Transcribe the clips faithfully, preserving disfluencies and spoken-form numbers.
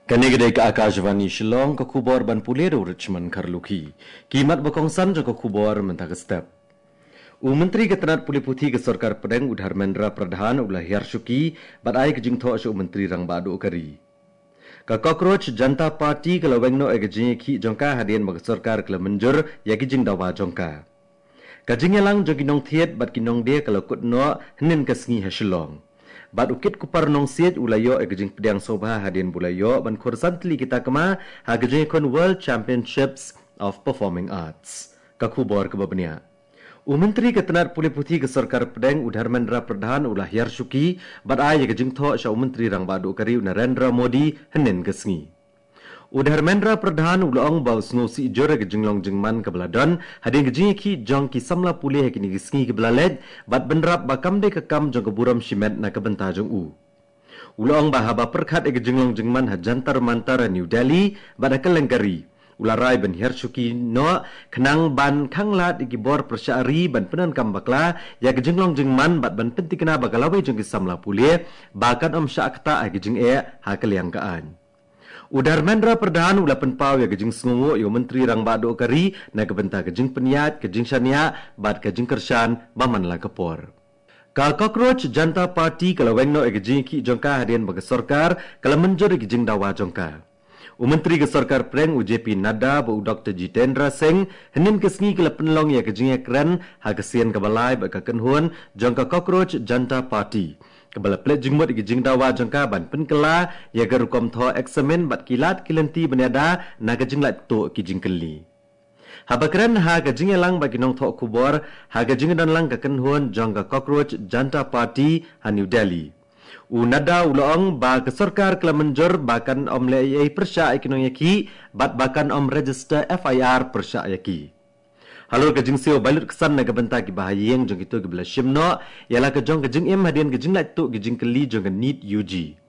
Kane ka dei ka Akashvani Shillong, ka khubor ban pule da u Richmond Kharlukhi. Ki mat ba kongsan jong ka khubor mynta ka step. U Myntri ka tnat pule puthi ka Sorkar Pdeng, u Dharmendra Pradhan, u la hiar shuki bad ai ka jingthoh sha u Myntri Rangbah Duh ka ri. Ka Cockroach Janta Party ka la weng noh ïa ka jingïakhih jong ka hadien ba ka sorkar ka la mynjur ïa ki jingdawa jong ka. Ka jingïalang jong ki nongthied bad ki nongdie ka la kut noh hynnin ka sngi ha Shillong. Bad u kit kupar nongsiej u la ïoh ïa ka jingpdiang sngewbha hadien ba u la ïoh ban khur san tylli ki takma ha ka jingïakhun World Championships of Performing Arts. Ka khubor kaba bniah. U Myntri ka tnat pule puthi ka Sorkar Pdeng, u Dharmendra Pradhan, u la hiar shuki bad ai ïa ka jingthoh sha u Myntri Rangbah Duh ka ri, u Narendra Modi, hynnin ka sngi. U Dharmendra Pradhan u la ong ba u sngewsih jur ïa ka jinglong jingman kaba la don hadien ka jingïakhih jong ki samla pule ha kine ki sngi kiba la leit, bad bynrap ba kam dei ka kam jong ka burom shimet na ka bynta jong u. U la ong ba haba pyrkhat ïa ka jinglong jingman ha Jantar Mantar ha New Delhi bad ha kylleng ka ri, u la rai ban hiar shuki noh khnang ban khanglad ïa ki bor pyrshah ri ban pyndonkam bakla ïa ka jinglong jingman bad ban pyntikna ba ka lawei jong ki samla pule ba kan ym shah ktah ha ka jingeh ha ka liang ka aiñ. U Dharmendra Pradhan u la pynpaw ïa ka jingsngewnguh ïa u Myntri Rangbah Duh ka ri na ka bynta ka jingpynïaid, ka jingshaniah bad ka jingkyrshan ba man la ka por. Ka Cockroach Janta Party ka la weng noh ïa ka jingïakhih jong ka hadien ba ka sorkar ka la mynjur ïa ka jingdawa jong ka. U Myntri ka Sorkar Pdeng, u J P Nadda bad u Doktor Jitendra Singh, hynnin ka sngi ki la pynlong ïa ka jingïakren ha ka sien kaba lai bad ka kynhun jong ka Cockroach Janta Party, kaba la pynleit jingmut ïa ka jingdawa jong ka ban pynkylla ïa ka rukom thoh eksamin bad ki lad ki lynti ban ïada na ka jinglait tuh ki jingkylli. Haba kren ha ka jingïalang bad ki nongthoh khubor ha ka jingdonlang ka kynhun jong ka Cockroach Janta Party ha New Delhi, u Nadda u la ong ba ka sorkar ka la mynjur ba kan ym leh ei ei pyrshah ïa ki nongïakhih bad ba kan ym register F I R pyrshah ïa ki. Halor ka jingsiew bai lut ksan na ka bynta kiba ha ïing jong kito kiba la shim noh ïa la ka jong ka jingim hadien ka jinglait tuh ki jingkylli jong ka NEET U G,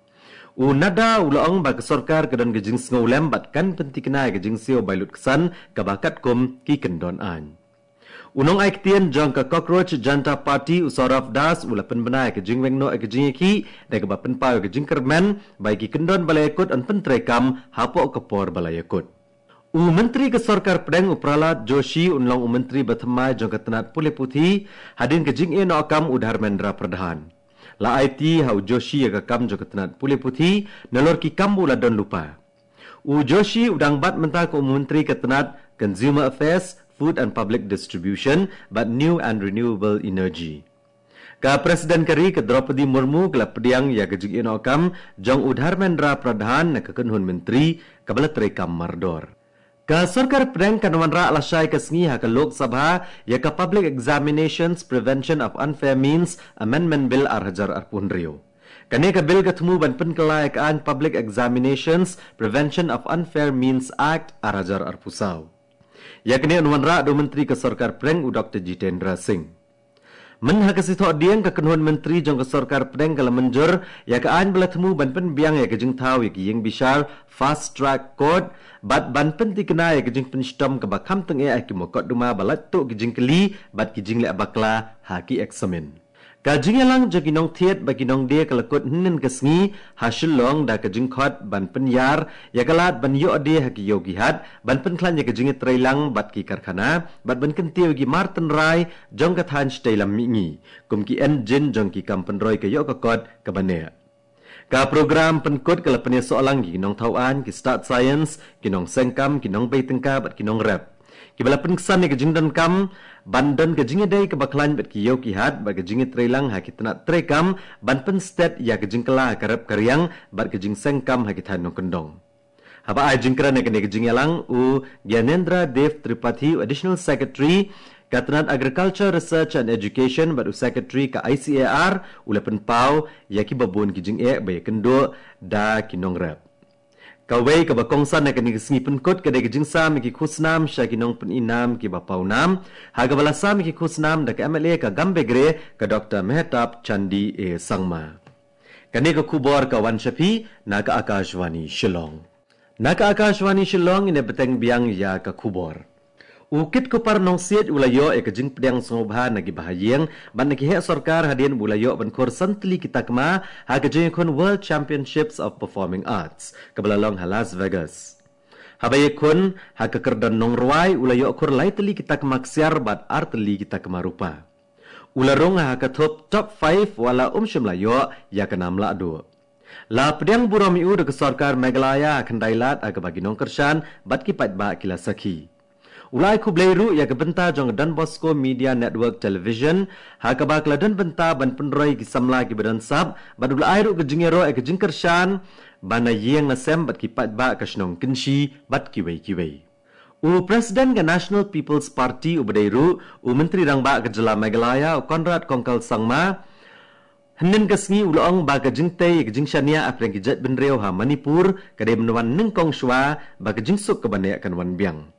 u Nadda u la ong ba ka sorkar ka don ka jingsngewlem bad kan pyntikna ïa ka jingsiew bai lut ksan kaba katkum ki kyndon aiñ. U nongaiktien jong ka Cockroach Janta Party, u Saurabh Das, u la pynbna ïa ka jingweng noh ïa ka jingïakhih da kaba pynpaw ïa ka jingkyrmen ba ïa ki kyndon ba la ïakut yn pyntreikam hapoh ka por ba la ïakut. U Myntri ka Sorkar Pdeng, u Pralhad Joshi, un long u Myntri ba thymmai jong ka tnat pule puthi hadien ka jingïehnoh kam u Dharmendra Pradhan. La aiti ha u Joshi ïa ka kam jong ka tnat pule puthi nalor ki kam ba u la don lypa. U Joshi u dang bat mynta kum u Myntri ka tnat Consumer Affairs, Food and Public Distribution bad New and Renewable Energy. Ka President ka ri, ka Droupadi Murmu, ka la pdiang ïa ka jingïehnoh kam jong u Dharmendra Pradhan na ka kynhun myntri kaba la treikam mardor. Ka Sorkar Pdeng kan wanrah lashai ka sngi ha ka Lok Sabha ïa ka Public Examinations Prevention of Unfair Means Amendment Bill ar hajar arphew hynriew. Kane ka bill ka thmu ban pynkylla ïa ka aiñ Public Examinations Prevention of Unfair Means Act ar hajar arphew saw. Ïa kane yn wanrah da u Myntri ka Sorkar Pdeng, u Doktor Jitendra Singh. Mynha ka sngi Thohdieng, ka kynhun myntri jong ka Sorkar Pdeng ka la mynjur ïa ka aiñ ba la thmu ban pynbiang ïa ka jingthaw ïa ki ïing bishar Fast Track Court bad ban pyntikna ïa ka jingpynshitom kaba kham tyngeh ha ki mukotduma ba lait tuh ki jingkylli bad ki jingleh bakla ha ki eksamin. Ka jingïalang jong ki nongthied bad ki nongdie ka la kut hynnin ka sngi ha Shillong da ka jingkhot ban pynïar ïa ka lad ban ïoh die ha ki ïew ki hat, ban pynkhlaiñ ïa ka jingïatreilang bad ki karkhana bad ban kyntiew ïa ki mar tynrai jong ka thaiñ shatei lam mihngi, kum ki engine jong ki kam pynroi ka ïoh ka kot kaba neh. Ka program pynkut ka la pynïasoh lang ïa ki nongthaw aiñ, ki stad science, ki nongseng kam, ki nongbei tyngka bad ki nongrep, kiba la pynksan ïa ka jingdonkam ban don ka jingïadei kaba khlaiñ bad ki ïew ki hat bad ka jingïatreilang ha ki tnat treikam ban pynstet ïa ka jingkylla ha ka rep ka riang bad ka jingseng kam ha ki thaiñ nongkyndong. Haba ai jingkren ha kane ka jingïalang, u Gyanendra Dev Tripathi, u Additional Secretary ka tnat Agriculture, Research and Education bad u Secretary ka I C A R, u la pynpaw ïa kiba bun ki jingeh ba ïakynduh da ki nongrep. Kawei kaba kongsan ha kane ka sngi pynkut ka dei ka jingsam ïa ki khusnam sha ki nongpyni nam kiba paw nam, ha kaba la sam ïa ki khusnam da ka M L A ka Gambegre, ka Doktor Mehtab Chandee Sangma. Kane ka khubor ka wan sha phi na ka Akashvani Shillong. Na ka Akashvani Shillong, ngin ïa bteng biang ïa ka khubor. U Kitkhupar Nongsiej u la ïoh ïa ka jingpdiang sngewbha na ki bahaïing bad na ki heh sorkar hadien ba u la ïoh ban khur san tylli ki takma ha ka jingïakhun World Championships of Performing Arts kaba la long ha Las Vegas. Haba ïakhun ha ka kyrdan nongrwai u la ïoh khur lai tylli ki takma ksiar bad ar tylli ki takma rupa. U la rung ha ka thup top five wat la um shym la ïoh ïa ka nam lahduh. La pdiang burom ïa u da ka sorkar Meghalaya ha ka khyndai lad ha kaba ki nongkyrshan bad ki paidbah ki la sakhi. U la ai khublei ruh ïa ka bynta jong ka Don Bosco Media Network Television ha kaba ka la don bynta ban pynroi ki samla kiba don sap bad u la ai ruh ka jingïaroh ïa ka jingkyrshan ban ïeng ïasem bad ki paidbah ka shnong Kynshi bad kiwei kiwei. U President ka National People's Party uba dei ruh u Myntri Rangbah ka jylla Meghalaya u Conrad Kongkal Sangma hynnin ka sngi u la ong ba ka jingtei ïa ka jingshaniah hapdeng ki jaitbynriew ha Manipur ka dei ban wan nyngkong shuwa ba ka jingsuk kaba neh kan wan biang.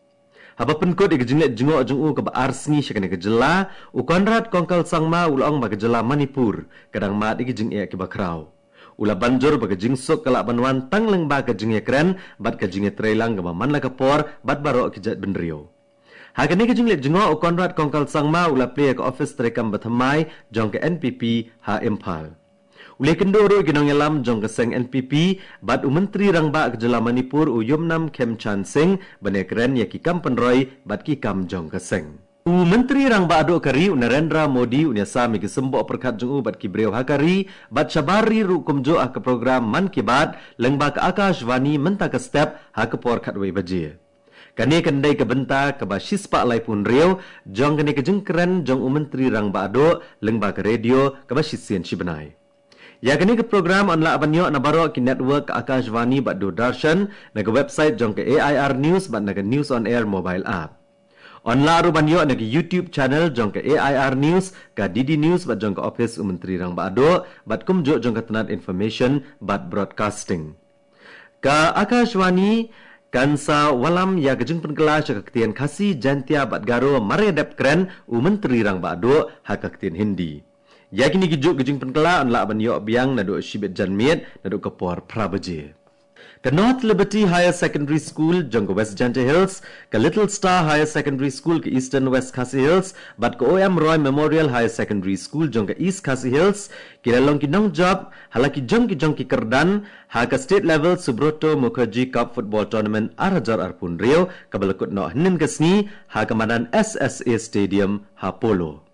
Haba pynkut ïa ka jingleit jngoh jong u kaba ar sngi sha kane ka jylla, u Conrad Kongkal Sangma u la ong ba ka jylla Manipur ka dang mad ïa ki jingeh kiba khraw. U la ban jur ba ka jingsuk ka lah ban wan tang lyngba ka jingïakren bad ka jingïatreilang kaba man la ka por bad baroh ki jaitbynriew. Ha kane ka jingleit jngoh u Conrad Kongkal Sangma u la plie ïa ka ophis treikam bathymmai jong ka N P P ha Imphal. U la ïakynduh ruh ïa ki nongïalam jong ka seng N P P bad u Myntri Rangbah ka jylla Manipur u Yumnam Khemchand Singh ban ïakren ïa ki kam pynroi bad ki kam jong ka seng. U Myntri Rangbah duh ka ri u Narendra Modi un ïasam ïa ki symboh pyrkhat jong u bad ki briew ha ka ri bad shabar ri ruh kumjuh ha ka program Mann Ki Baat lyngba ka Akashvani mynta ka step ha ka por khatwei baje. Kane kan dei ka bynta kaba shispah laiphew hynriew jong kane ka jingkren jong u Myntri Rangbah duh lyngba ka radio kaba shisien shibnai. Ïa kane ka program yn lah ban ïoh na baroh ki network ka Akashvani bad Doordarshan, na ka website jong ka A I R News bad na ka News on Air mobile app. Yn lah ruh ban ïoh na ka YouTube channel jong ka A I R News, ka D D News bad jong ka ophis u Myntri Rangbah duh bad kumjuh jong ka tnat Information bad Broadcasting. Ka Akashvani kan sa wallam ïa ka jingpynkylla sha ka ktien Khasi, Jaintia bad Garo mar ïa dep kren u Myntri Rangbah duh ha ka ktien Hindi. Ïa kine ki juk ki jingpynkylla yn lah ban ïoh biang naduh shibit janmiet naduh ka por phra baje. Ka North Liberty Higher Secondary School jong ka West Jaintia Hills, ka Little Star Higher Secondary School ka Eastern West Khasi Hills bad ka O M Roy Memorial Higher Secondary School jong ka East Khasi Hills ki la long ki nongjop ha la ki jong ki jong ki kyrdan ha ka State Level Subroto Mukherjee Cup Football Tournament ar hajar arphew hynriew kaba la kut noh hynnin ka sngi ha ka madan S S A Stadium ha Polo.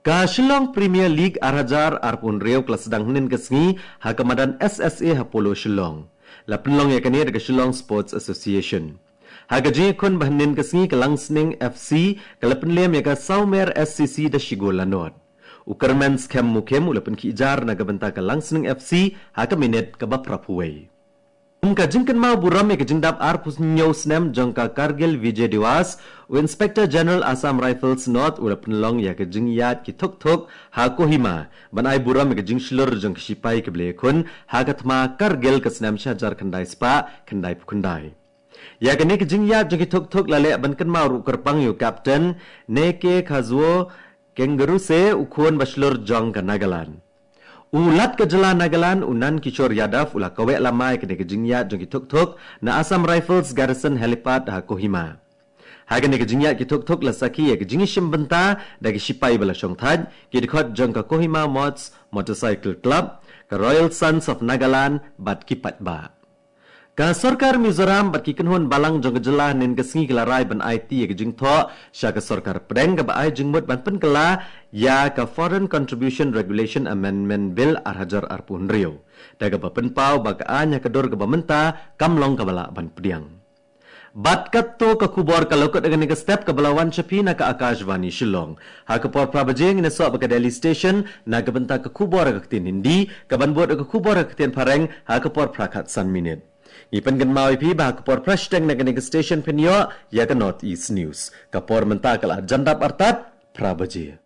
Ka Shillong Premier League ar hajar arphew hynriew ka la sdang hynnin ka sngi ha ka madan S S A ha Polo Shillong. La pynlong ïa kane da ka Shillong Sports Association. Ha ka jingïakhun ba hynnin ka sngi ka Langsning F C ka la pynlem ïa ka Sawmer S C C da shi gol la nod. U Kyrmen Skhem Mukhim u la pynkhih jar na ka bynta ka Langsning F C ha ka minit kaba phra phew wei. Kum ka jingkynmaw burom ïa ka jingdap arphew hynñiew snem jong ka Kargil Vijay Diwas, u Inspector General Assam Rifles North u la pynlong ïa ka jingïaid ki thuk thuk ha Kohima ban ai burom ïa ka jingshlur jong ki shipai kiba la ïakhun ha ka thma Kargil ka snem shi hajar khyndai spah khyndai phew khyndai. Ïa kane ka jingïaid jong ki thuk thuk la leh ban kynmaw ruh kyrpang ïa u Captain Neke Khazuo Kengeruse, u khun ba shlur jong ka Nagaland. U Lat ka jylla Nagaland u Nan Kishore Yadav u la kaweh lama ïa kane ka jingïaid jong ki thuk thuk na Assam Rifles Garrison Helipad ha Kohima. Ha kane ka jingïaid ki thuk thuk la sakhi ïa ka jingïashim bynta da ki shipai ba la shongthait, ki dkhot jong ka Kohima Moths Motorcycle Club, ka Royal Sons of Nagaland bad ki paidbah. Ka sorkar Mizoram bad ki kynhun balang jong ka jylla hynnin ka sngi ki la rai ban aiti ïa ka jingthoh sha ka sorkar pdeng kaba ai jingmut ban pynkylla ïa ka Foreign Contribution Regulation Amendment Bill ar hajar arphew hynriew. Da kaba pynpaw ba ka aiñ ha ka dur kaba mynta kam long kaba lah ban pdiang. Bad katto ka khubor ka la kut ha kane ka step kaba la wan sha phi na ka Akashvani Shillong. Ha ka por phra baje ngin ïasoh bad ka Delhi Station na ka bynta ka khubor ha ka ktien Hindi, kaban bud ka khubor ha ka ktien Phareng ha ka por phra khatsan minit. Ngi pynkynmaw ïa phi ba ha ka por phra shiteng na kane ka station phin ïoh ïa ka North East News. Ka por mynta ka la jan dap artat phra baje.